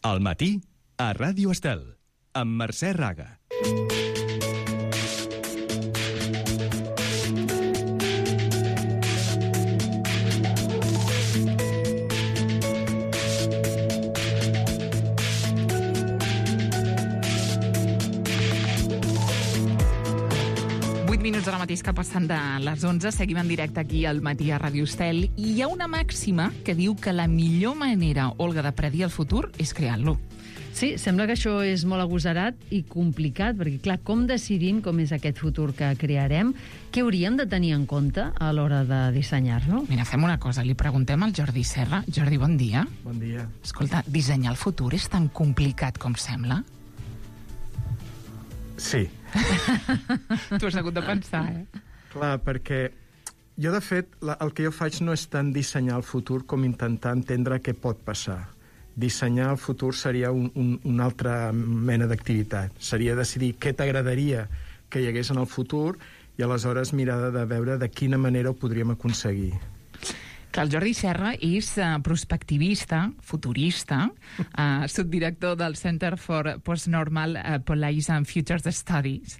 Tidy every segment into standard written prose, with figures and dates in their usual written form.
Al matí, a Ràdio Estel, amb Mercè Raga. 8 minuts ara mateix que passen de les 11. Seguim en directe aquí al matí a Ràdio Estel. I hi ha una màxima que diu que la millor manera, Olga, de predir el futur és creant-lo. Sí, sembla que això és molt agosarat i complicat, perquè, clar, com decidim com és aquest futur que crearem? Què hauríem de tenir en compte a l'hora de dissenyar-lo? Mira, fem una cosa, li preguntem al Jordi Serra. Jordi, bon dia. Bon dia. Escolta, dissenyar el futur és tan complicat com sembla? Sí. Tu has hagut de pensar, Clar, perquè jo, de fet, el que jo faig no és tant dissenyar el futur com intentar entendre què pot passar. Dissenyar el futur seria una altra mena d'activitat. Seria decidir què t'agradaria que hi hagués en el futur i aleshores mirar de veure de quina manera ho podríem aconseguir. Clar, el Jordi Serra és prospectivista, futurista, subdirector del Center for Postnormal Policy and Futures Studies.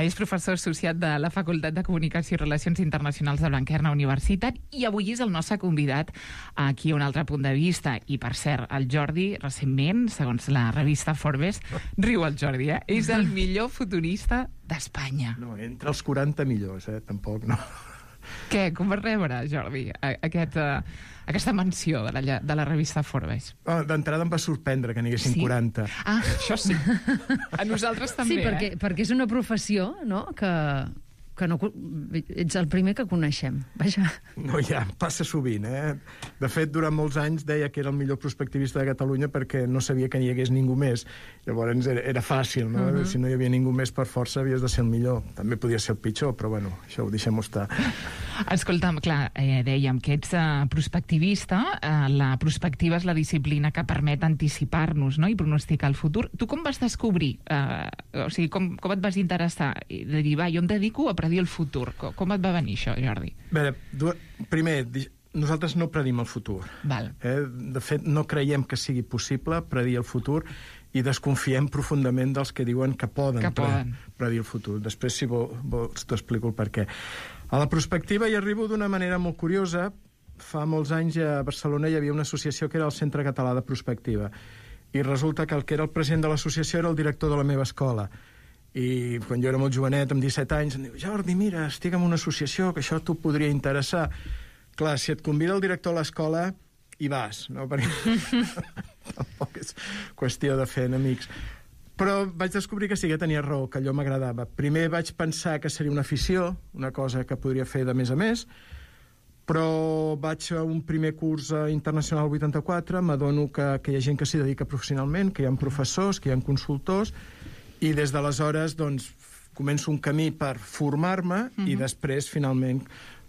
És professor associat de la Facultat de Comunicació i Relacions Internacionals de Blanquerna Universitat i avui és el nostre convidat aquí a un altre punt de vista. I, per cert, el Jordi, recentment, segons la revista Forbes, riu el Jordi, és el millor futurista d'Espanya. No, entre els 40 millors, tampoc, no. Què? Com vas rebre, Jordi, aquesta menció de la revista Forbes? D'entrada em va sorprendre que n'hi haguessin 40. Ah, això sí. A nosaltres també, sí, perquè és una professió, no?, que no, ets el primer que coneixem. Vaja. No, ja, passa sovint, De fet, durant molts anys deia que era el millor prospectivista de Catalunya perquè no sabia que n'hi hagués ningú més. Llavors era fàcil, no? Si no hi havia ningú més, per força havies de ser el millor. També podia ser el pitjor, però bueno, això ho deixem estar. Escolta'm, clar, dèiem que ets prospectivista, la prospectiva és la disciplina que permet anticipar-nos, no?, i pronosticar el futur. Tu com vas descobrir, o sigui, com et vas interessar de dir, va, jo em dedico a predir el futur? Com et va venir això, Jordi? A veure, primer, nosaltres no predim el futur. Val. De fet, no creiem que sigui possible predir el futur i desconfiem profundament dels que diuen que poden predir el futur. Després, si vols, t'explico el per què. A la prospectiva hi arribo d'una manera molt curiosa. Fa molts anys a Barcelona hi havia una associació que era el Centre Català de Prospectiva. I resulta que el que era el president de l'associació era el director de la meva escola. I quan jo era molt jovenet, amb 17 anys, em diu, Jordi, mira, estic en una associació, que això t'ho podria interessar. Clar, si et convida el director a l'escola, hi vas, no? Perquè tampoc és qüestió de fer enemics. Però vaig descobrir que sí que tenia raó, que allò m'agradava. Primer vaig pensar que seria una afició, una cosa que podria fer de més a més, però vaig a un primer curs internacional 84, m'adono que hi ha gent que s'hi dedica professionalment, que hi ha professors, que hi ha consultors, i des d'aleshores doncs, començo un camí per formar-me i després finalment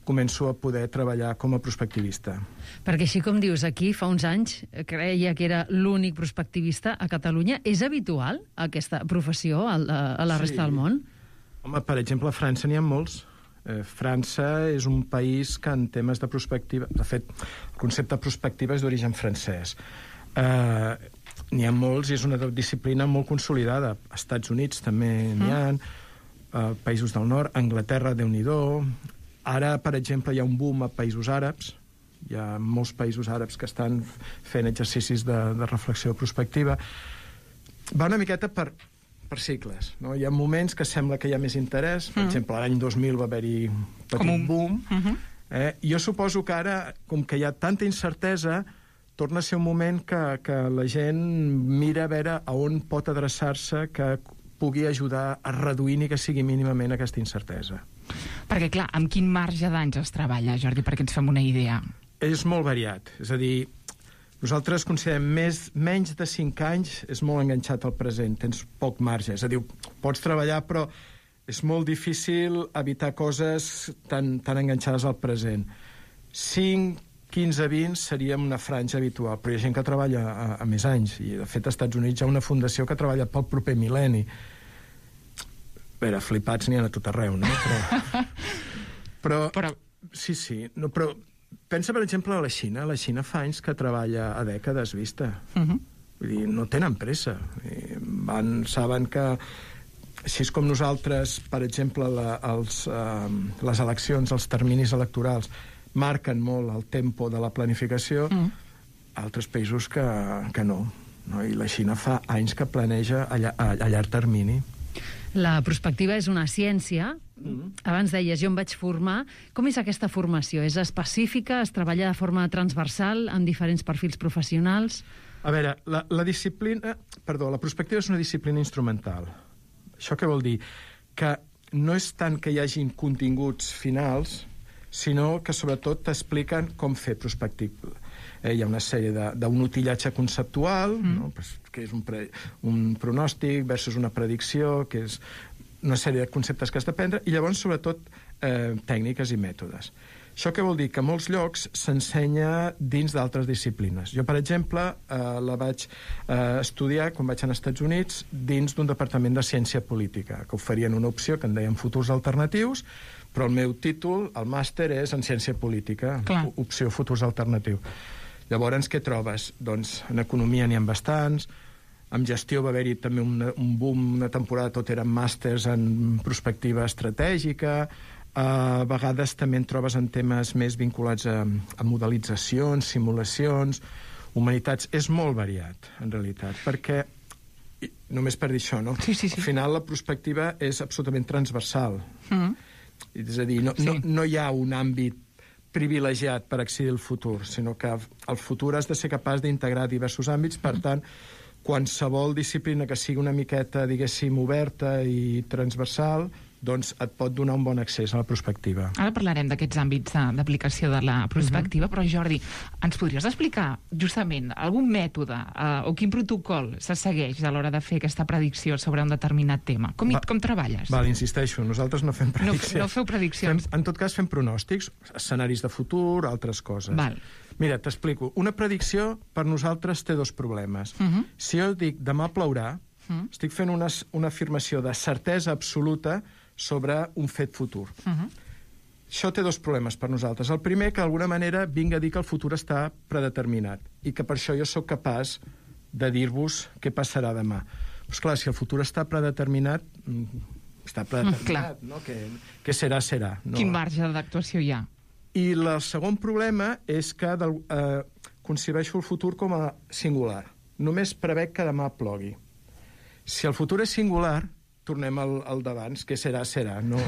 començo a poder treballar com a prospectivista. Perquè així com dius, aquí fa uns anys creia que era l'únic prospectivista a Catalunya. És habitual aquesta professió a la resta del món? Home, per exemple, a França n'hi ha molts. França és un país que en temes de prospectiva... De fet, el concepte prospectiva és d'origen francès. N'hi ha molts i és una disciplina molt consolidada. Als Estats Units també n'hi ha, països del nord, Anglaterra, Déu-n'hi-do. Ara, per exemple, hi ha un boom a països àrabs. Hi ha molts països àrabs que estan fent exercicis de reflexió prospectiva. Va una miqueta per cicles, no? Hi ha moments que sembla que hi ha més interès. Per exemple, l'any 2000 va haver-hi un petit boom. Jo suposo que ara, com que hi ha tanta incertesa, torna a ser un moment que la gent mira a veure a on pot adreçar-se que pugui ajudar a reduir ni que sigui mínimament aquesta incertesa. Perquè, clar, amb quin marge d'anys es treballa, Jordi, perquè ens fem una idea? És molt variat. És a dir, nosaltres considerem menys de 5 anys és molt enganxat al present, tens poc marge. És a dir, pots treballar, però és molt difícil evitar coses tan enganxades al present. 5, 15, 20 seria una franja habitual, però hi ha gent que treballa a més anys, i de fet als Estats Units hi ha una fundació que treballa pel proper mil·lenni. A veure, flipats n'hi ha a tot arreu, no? Però sí, no, però pensa, per exemple, a la Xina. La Xina fa anys que treballa a dècades vista. Vull dir, no tenen pressa. Saben que, així com nosaltres, per exemple, les eleccions, els terminis electorals, marquen molt el tempo de la planificació, altres països que no. I la Xina fa anys que planeja a llarg termini. La prospectiva és una ciència. Abans deies, jo em vaig formar. Com és aquesta formació? És específica? Es treballa de forma transversal en diferents perfils professionals? A veure, la prospectiva és una disciplina instrumental. Això què vol dir? Que no és tant que hi hagin continguts finals, sinó que sobretot t'expliquen com fer prospectiva. Hi ha una sèrie d'un utillatge conceptual, no? Que és un pronòstic versus una predicció, que és una sèrie de conceptes que has d'aprendre, i llavors, sobretot, tècniques i mètodes. Això què vol dir? Que a molts llocs s'ensenya dins d'altres disciplines. Jo, per exemple, la vaig estudiar, quan vaig anar als Estats Units, dins d'un departament de ciència política, que oferien una opció que en deien futurs alternatius, però el meu títol, el màster, és en ciència política, opció futurs alternatius. Llavors, què trobes? Doncs en economia n'hi ha bastants, en gestió va haver-hi també un boom, una temporada tot eren màsters en prospectiva estratègica, a vegades també en trobes en temes més vinculats a modelitzacions, simulacions, humanitats. És molt variat, en realitat, perquè, només per dir això, no? Sí. Al final la prospectiva és absolutament transversal. És a dir, no hi ha un àmbit privilegiat per accedir al futur, sinó que al futur has de ser capaç d'integrar diversos àmbits, per tant, qualsevol disciplina que sigui una miqueta, diguéssim, oberta i transversal, doncs et pot donar un bon accés a la prospectiva. Ara parlarem d'aquests àmbits d'aplicació de la prospectiva, però Jordi, ens podries explicar justament algun mètode o quin protocol se segueix a l'hora de fer aquesta predicció sobre un determinat tema? Com treballes? Val, insisteixo, nosaltres no fem prediccions. No feu prediccions. En tot cas fem pronòstics, escenaris de futur, altres coses. Val. Mira, t'explico. Una predicció per nosaltres té dos problemes. Si jo dic demà plourà, estic fent una afirmació de certesa absoluta sobre un fet futur. Això té dos problemes per nosaltres. El primer, que d'alguna manera vinga a dir que el futur està predeterminat i que per això jo sóc capaç de dir-vos què passarà demà. Però, esclar, si el futur està predeterminat, no? Que serà, serà. No? Quin marge d'actuació hi ha? I el segon problema és que concebeixo el futur com a singular. Només prevec que demà plogui. Si el futur és singular, tornem al d'abans, que serà, serà. No?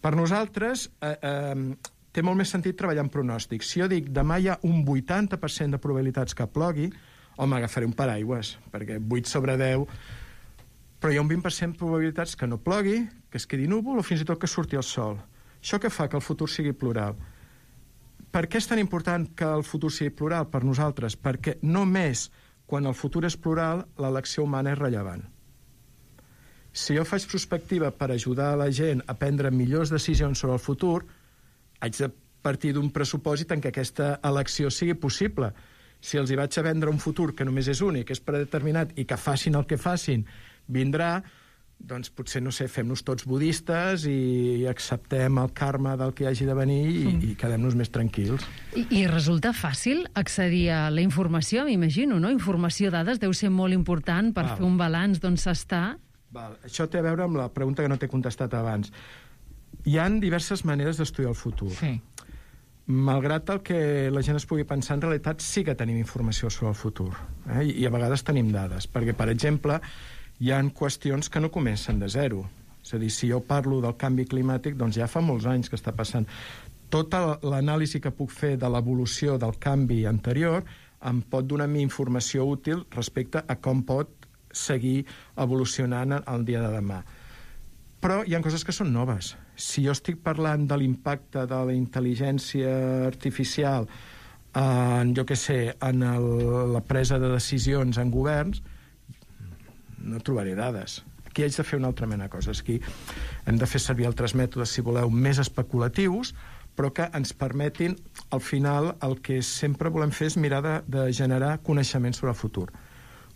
Per nosaltres té molt més sentit treballar en pronòstics. Si jo dic demà hi ha un 80% de probabilitats que plogui, home, agafaré un paraigües, perquè 8 sobre 10... Però hi ha un 20% de probabilitats que no plogui, que es quedi núvol o fins i tot que surti el sol. Això què fa? Que el futur sigui plural. Per què és tan important que el futur sigui plural per nosaltres? Perquè només quan el futur és plural, l'elecció humana és rellevant. Si jo faig prospectiva per ajudar a la gent a prendre millors decisions sobre el futur, haig de partir d'un pressupòsit en què aquesta elecció sigui possible. Si els hi vaig a vendre un futur que només és únic, és predeterminat, i que facin el que facin, vindrà, doncs potser, no sé, fem-nos tots budistes i acceptem el karma del que hagi de venir i quedem-nos més tranquils. I resulta fàcil accedir a la informació, m'imagino, no? Informació, dades, deu ser molt important per fer un balanç d'on s'està. Això té a veure amb la pregunta que no t'he contestat abans. Hi ha diverses maneres d'estudiar el futur. Sí. Malgrat el que la gent es pugui pensar, en realitat sí que tenim informació sobre el futur. I a vegades tenim dades. Perquè, per exemple, hi ha qüestions que no comencen de zero. És a dir, si jo parlo del canvi climàtic, doncs ja fa molts anys que està passant. Tota l'anàlisi que puc fer de l'evolució del canvi anterior em pot donar a mi informació útil respecte a com pot seguir evolucionant el dia de demà. Però hi ha coses que són noves. Si jo estic parlant de l'impacte de la intel·ligència artificial en, jo què sé, en la presa de decisions en governs, no trobaré dades. Aquí haig de fer una altra mena de coses. Aquí hem de fer servir altres mètodes, si voleu, més especulatius, però que ens permetin, al final, el que sempre volem fer és mirar de generar coneixement sobre el futur.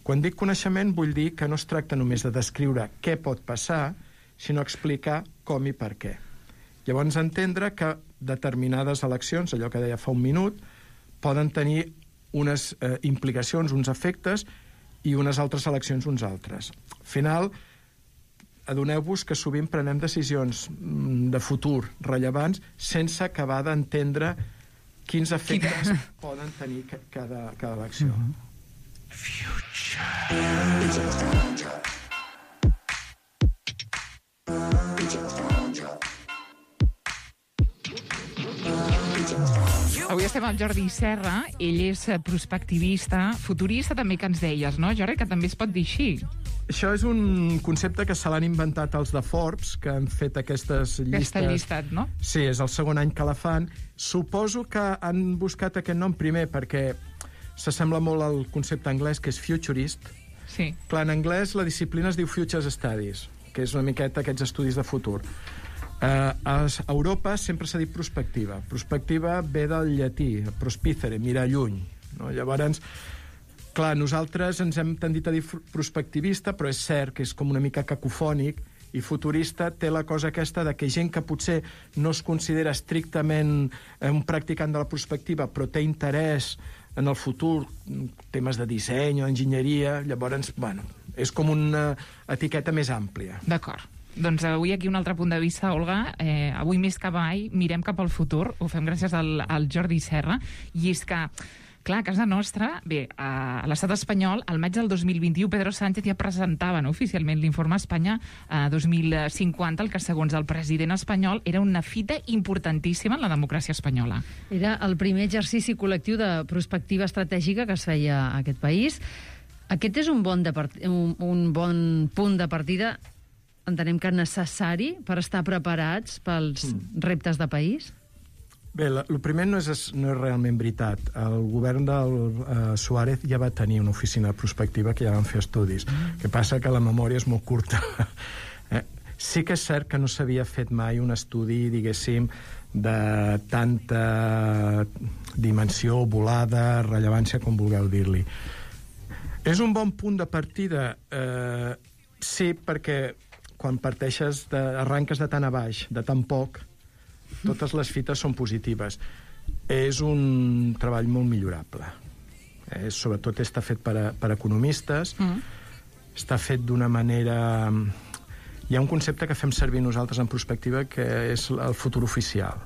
Quan dic coneixement, vull dir que no es tracta només de descriure què pot passar, sinó explicar com i per què. Llavors, entendre que determinades eleccions, allò que deia fa un minut, poden tenir unes implicacions, uns efectes, i unes altres eleccions uns altres. Al final, adoneu-vos que sovint prenem decisions de futur rellevants sense acabar d'entendre quins efectes poden tenir cada elecció. Avui estem amb Jordi Serra, ell és prospectivista, futurista també, que ens deies, no, Jordi, que també es pot dir així. Això és un concepte que se l'han inventat els de Forbes, que han fet aquestes llistes. Aquesta llistat, no? Sí, és el segon any que la fan. Suposo que han buscat aquest nom primer perquè s'assembla molt al concepte anglès, que és futurist. Sí. Clar, en anglès la disciplina es diu Futures Studies, que és una miqueta aquests estudis de futur. A Europa sempre s'ha dit prospectiva. Prospectiva ve del llatí, prospicere, mirar lluny. No? Llavors, clar, nosaltres ens hem tendit a dir prospectivista, però és cert que és com una mica cacofònic, i futurista té la cosa aquesta de que gent que potser no es considera estrictament un practicant de la prospectiva, però té interès en el futur, temes de disseny o enginyeria, llavors, bueno, és com una etiqueta més àmplia. D'acord. Doncs avui aquí un altre punt de vista, Olga. Avui més que mai mirem cap al futur. Ho fem gràcies al Jordi Serra. I és que, clar, a casa nostra, bé, a l'estat espanyol, al maig del 2021, Pedro Sánchez ja presentava oficialment l'informe Espanya 2050, el que, segons el president espanyol, era una fita importantíssima en la democràcia espanyola. Era el primer exercici col·lectiu de prospectiva estratègica que es feia a aquest país. Aquest és un bon punt de partida, entenem que necessari per estar preparats pels reptes de país? Bé, el primer no és realment veritat. El govern del Suárez ja va tenir una oficina prospectiva que ja van fer estudis. El que passa que la memòria és molt curta. Sí que és cert que no s'havia fet mai un estudi, diguéssim, de tanta dimensió, volada, rellevància, com vulgueu dir-li. És un bon punt de partida? Sí, perquè quan arranques de tan a baix, de tan poc, totes les fites són positives. És un treball molt millorable. Sobretot està fet per economistes, està fet d'una manera... Hi ha un concepte que fem servir nosaltres en prospectiva que és el futur oficial.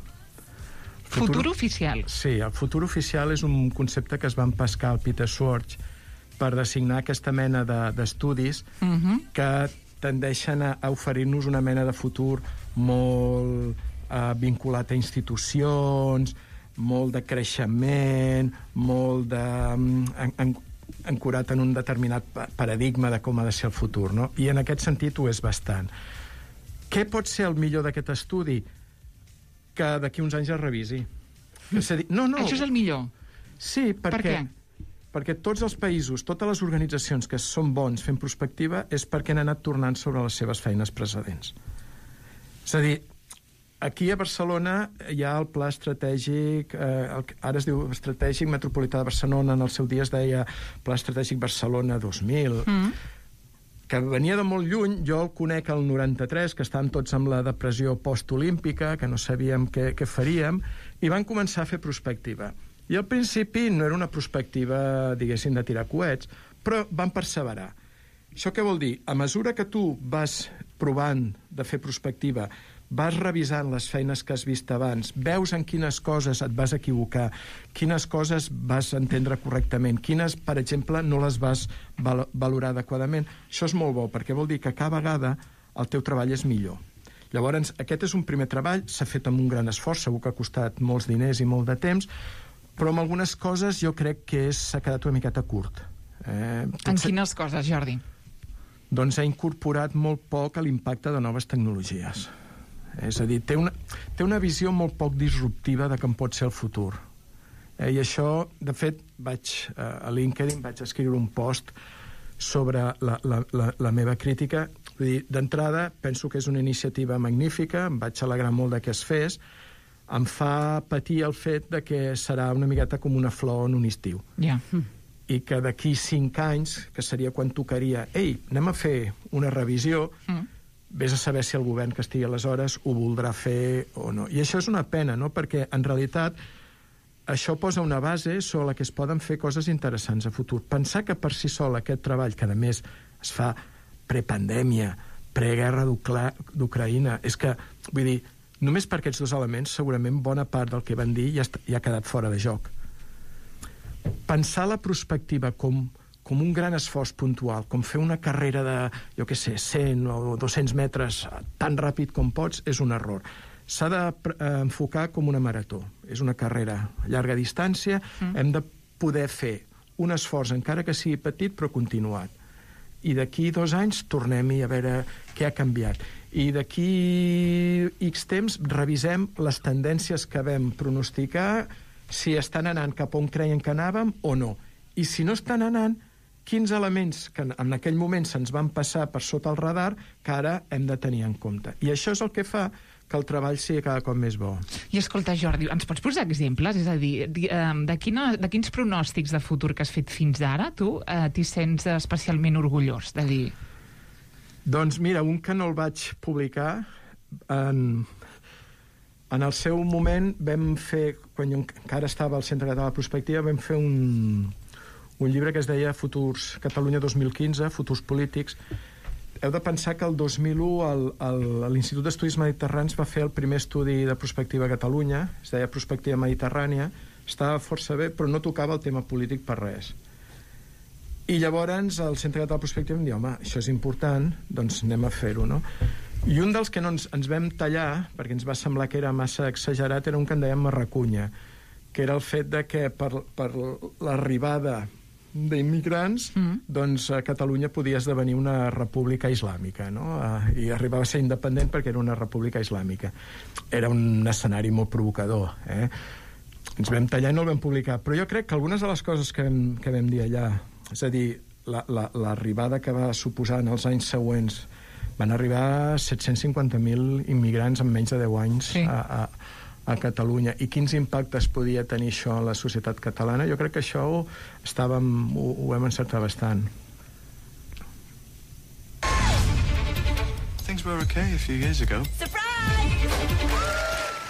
Futur oficial? Sí, el futur oficial és un concepte que es va empescar al Peter Schwartz per designar aquesta mena d'estudis que tendeixen a oferir-nos una mena de futur molt vinculat a institucions, molt de creixement, molt ancorat en un determinat paradigma de com ha de ser el futur, no? I en aquest sentit ho és bastant. Què pot ser el millor d'aquest estudi? Que d'aquí uns anys es revisi. No. Això és el millor? Sí, perquè... Per què? Perquè tots els països, totes les organitzacions que són bons fent prospectiva és perquè han anat tornant sobre les seves feines precedents. És a dir, aquí a Barcelona hi ha el pla estratègic, ara es diu Estratègic Metropolità de Barcelona, en el seu dia es deia Pla Estratègic Barcelona 2000, que venia de molt lluny. Jo el conec al 93, que estàvem tots amb la depressió postolímpica, que no sabíem què faríem, i van començar a fer prospectiva. I al principi no era una perspectiva, diguéssim, de tirar coets, però van perseverar. Això què vol dir? A mesura que tu vas provant de fer prospectiva, vas revisant les feines que has vist abans, veus en quines coses et vas equivocar, quines coses vas entendre correctament, quines, per exemple, no les vas valorar adequadament. Això és molt bo, perquè vol dir que cada vegada el teu treball és millor. Llavors, aquest és un primer treball, s'ha fet amb un gran esforç, segur que ha costat molts diners i molt de temps, però amb algunes coses jo crec que s'ha quedat una miqueta curt. En quines coses, Jordi? Doncs ha incorporat molt poc a l'impacte de noves tecnologies. És a dir, té una visió molt poc disruptiva de com pot ser el futur. I això, de fet, a LinkedIn vaig escriure un post sobre la meva crítica. Vull dir, d'entrada, penso que és una iniciativa magnífica, em vaig alegrar molt de que es fes. Em fa patir el fet de que serà una miqueta com una flor en un estiu. Ja. I que d'aquí 5 anys, que seria quan tocaria, anem a fer una revisió, vés a saber si el govern que estigui aleshores ho voldrà fer o no. I això és una pena, no? Perquè, en realitat, això posa una base sobre la que es poden fer coses interessants a futur. Pensar que per si sol aquest treball, que a més es fa prepandèmia, preguerra d'Ucraïna, és que, vull dir, només per aquests dos elements, segurament bona part del que van dir ja ha quedat fora de joc. Pensar la prospectiva com un gran esforç puntual, com fer una carrera de, jo què sé, 100 o 200 metres tan ràpid com pots, és un error. S'ha d'enfocar com una marató. És una carrera a llarga distància. Hem de poder fer un esforç, encara que sigui petit, però continuat. I d'aquí 2 anys tornem-hi a veure què ha canviat. I d'aquí X temps revisem les tendències que vam pronosticar, si estan anant cap on creien que anàvem o no. I si no estan anant, quins elements que en aquell moment se'ns van passar per sota el radar que ara hem de tenir en compte. I això és el que fa que el treball sigui cada cop més bo. I escolta, Jordi, ens pots posar exemples? És a dir, de quins pronòstics de futur que has fet fins ara, tu t'hi sents especialment orgullós de dir? Doncs mira, un que no el vaig publicar, en el seu moment vam fer, quan jo encara estava al Centre Català de Prospectiva, vam fer un llibre que es deia Catalunya 2015, Futurs Polítics. Heu de pensar que el 2001 l'Institut d'Estudis Mediterranis va fer el primer estudi de prospectiva a Catalunya, es deia Prospectiva Mediterrània, estava força bé, però no tocava el tema polític per res. I llavors el Centre Català de Prospectiva em diu, home, això és important, doncs anem a fer-ho, no? I un dels que no ens vam tallar, perquè ens va semblar que era massa exagerat, era un que en dèiem Marracunya, que era el fet de que per l'arribada d'immigrants, doncs Catalunya podia esdevenir una república islàmica, no? I arribava a ser independent perquè era una república islàmica. Era un escenari molt provocador, Ens vam tallar i no el vam publicar, però jo crec que algunes de les coses que vam dir allà, és a dir, l'arribada que va suposar en els anys següents, van arribar 750.000 immigrants en menys de 10 anys a Catalunya, i quins impactes podia tenir això en la societat catalana. Jo crec que això ho vam encertar bastant. Things were okay a few years ago. Surprise!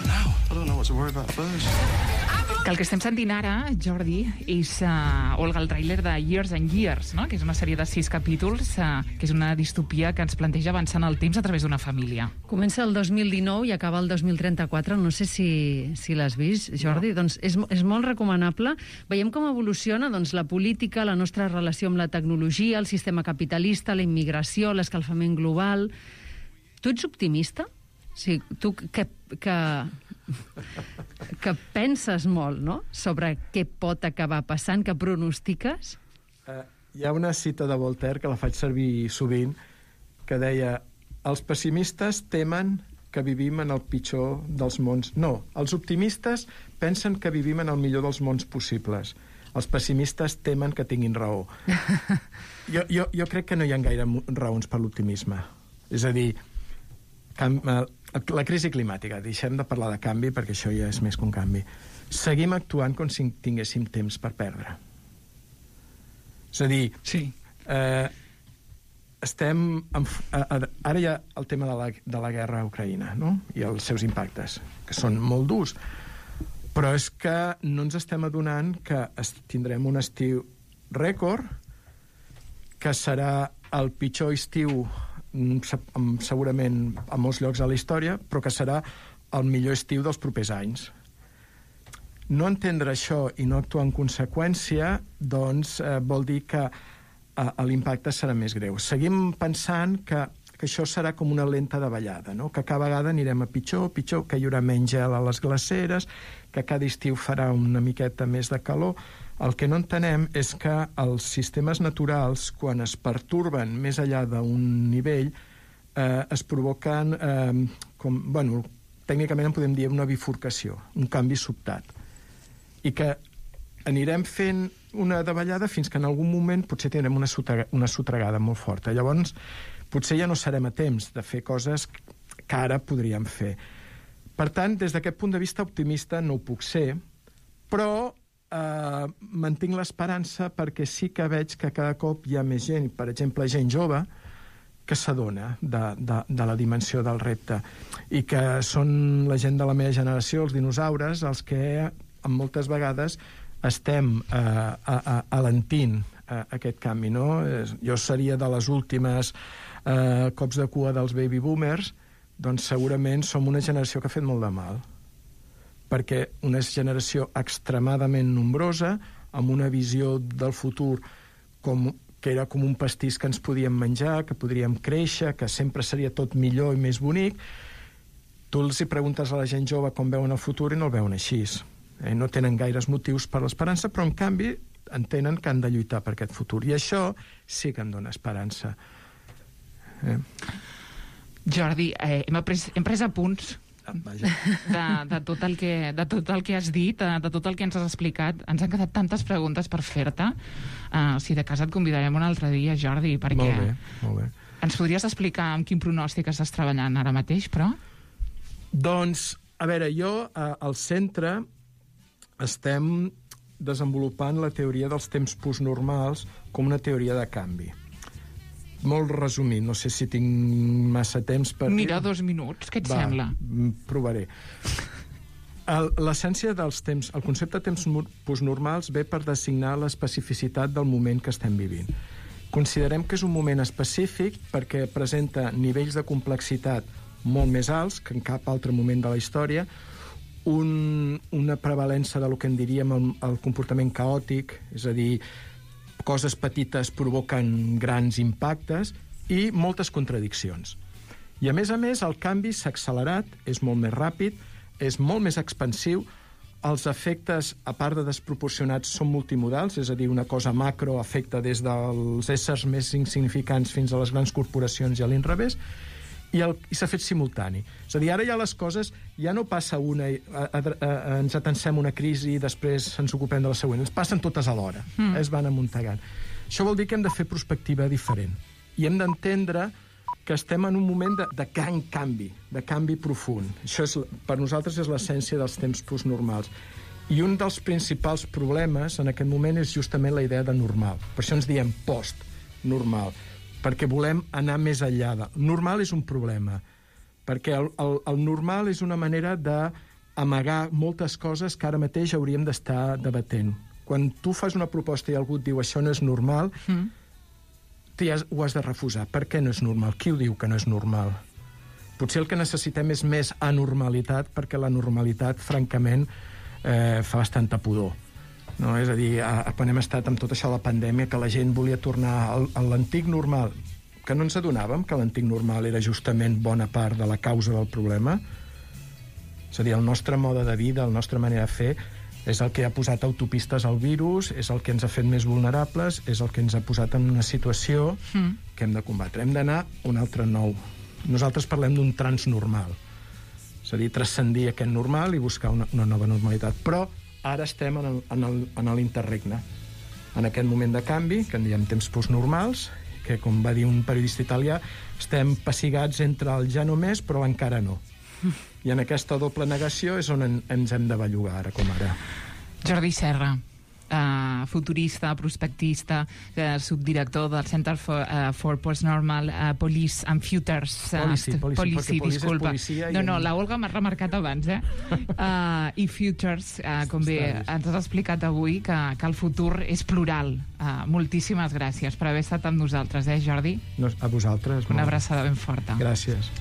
Now, I don't know what to worry about first. Que el que estem sentint ara, Jordi, és Olga, el tràiler de Years and Years, no? Que és una sèrie de 6 capítols, que és una distopia que ens planteja avançar en el temps a través d'una família. Comença el 2019 i acaba el 2034. No sé si l'has vist, Jordi. No. Doncs és molt recomanable. Veiem com evoluciona la política, la nostra relació amb la tecnologia, el sistema capitalista, la immigració, l'escalfament global. Tu ets optimista? Sí, tu que penses molt, no?, sobre què pot acabar passant, que pronostiques? Hi ha una cita de Voltaire que la faig servir sovint, que deia: els pessimistes temen que vivim en el pitjor dels mons. No, els optimistes pensen que vivim en el millor dels mons possibles. Els pessimistes temen que tinguin raó. Jo crec que no hi ha gaire raons per l'optimisme. És a dir, la crisi climàtica, deixem de parlar de canvi perquè això ja és més que un canvi. Seguim actuant com si tinguéssim temps per perdre. És a dir, ara hi ha el tema de la guerra a Ucraïna, no? I els seus impactes, que són molt durs. Però és que no ens estem adonant que tindrem un estiu rècord, que serà el pitjor estiu segurament a molts llocs de la història, però que serà el millor estiu dels propers anys. No entendre això i no actuar en conseqüència, doncs, vol dir que l'impacte serà més greu. Seguim pensant que això serà com una lenta davallada, no? Que cada vegada anirem a pitjor, que hi haurà menys gel a les glaceres, que cada estiu farà una miqueta més de calor. El que no entenem és que els sistemes naturals, quan es pertorben més enllà d'un nivell, es provoquen, tècnicament en podem dir una bifurcació, un canvi sobtat. I que anirem fent una davallada fins que en algun moment potser tindrem una sotragada molt forta. Llavors, potser ja no serem a temps de fer coses que ara podríem fer. Per tant, des d'aquest punt de vista optimista no ho puc ser, però mantinc l'esperança perquè sí que veig que cada cop hi ha més gent, per exemple, gent jove, que s'adona de la dimensió del repte, i que són la gent de la meva generació, els dinosaures, els que moltes vegades estem alentint aquest canvi, no? Jo seria de les últimes cops de cua dels baby boomers, doncs segurament som una generació que ha fet molt de mal, perquè una generació extremadament nombrosa, amb una visió del futur que era com un pastís que ens podíem menjar, que podríem créixer, que sempre seria tot millor i més bonic. Tu els hi preguntes a la gent jove com veuen el futur i no el veuen així. No tenen gaires motius per l'esperança, però en canvi entenen que han de lluitar per aquest futur. I això sí que em dona esperança. Jordi, hem pres apunts de tot el que has dit, de tot el que ens has explicat. Ens han quedat tantes preguntes per fer-te. Si de casa et convidarem un altre dia, Jordi, perquè... Molt bé. Ens podries explicar amb quin pronòstic estàs treballant ara mateix, però? Doncs, a veure, jo al centre estem desenvolupant la teoria dels temps postnormals com una teoria de canvi. Molt resumit, no sé si tinc massa temps per... Mira, 2 minuts, què et sembla? Provaré. L'essència dels temps, el concepte de temps postnormals ve per designar l'especificitat del moment que estem vivint. Considerem que és un moment específic perquè presenta nivells de complexitat molt més alts que en cap altre moment de la història, una prevalença de lo que en diríem el comportament caòtic, és a dir, coses petites provoquen grans impactes i moltes contradiccions. I a més, el canvi s'ha accelerat, és molt més ràpid, és molt més expansiu, els efectes, a part de desproporcionats, són multimodals, és a dir, una cosa macro afecta des dels éssers més insignificants fins a les grans corporacions i a l'inrevés, i s'ha fet simultani. És a dir, ara ja les coses ja no passa una, ens atensem una crisi i després ens ocupem de la següent. Ens passen totes alhora, es van amuntegant. Això vol dir que hem de fer perspectiva diferent. I hem d'entendre que estem en un moment de gran canvi, de canvi profund. Això per nosaltres és l'essència dels temps postnormals. I un dels principals problemes en aquest moment és justament la idea de normal. Per això ens diem post-normal, perquè volem anar més enllà. Normal és un problema, perquè el normal és una manera d'amagar moltes coses que ara mateix hauríem d'estar debatent. Quan tu fas una proposta i algú et diu això no és normal, tu ja ho has de refusar. Per què no és normal? Qui ho diu que no és normal? Potser el que necessitem és més anormalitat, perquè la normalitat, francament, fa bastanta pudor. No? És a dir, quan hem estat amb tot això de la pandèmia, que la gent volia tornar a l'antic normal, que no ens adonàvem que l'antic normal era justament bona part de la causa del problema. És a dir, el nostre mode de vida, la nostra manera de fer, és el que ha posat autopistes al virus, és el que ens ha fet més vulnerables, és el que ens ha posat en una situació que hem de combatre. Hem d'anar a un altre nou. Nosaltres parlem d'un transnormal. És a dir, transcendir aquest normal i buscar una nova normalitat. Però ara estem en l'interregne, en aquest moment de canvi, que en diem temps postnormals, que, com va dir un periodista italià, estem pessigats entre el ja no més, però encara no. I en aquesta doble negació és on ens hem de bellugar, ara com ara. Jordi Serra, futurista, prospectista, subdirector del Center for Postnormal Policy and Futures. Policy, disculpa. No, la Olga m'ha remarcat abans, i Futures, com bé ens has explicat avui, que el futur és plural. Moltíssimes gràcies per haver estat amb nosaltres, Jordi? A vosaltres. Una abraçada ben forta. Gràcies.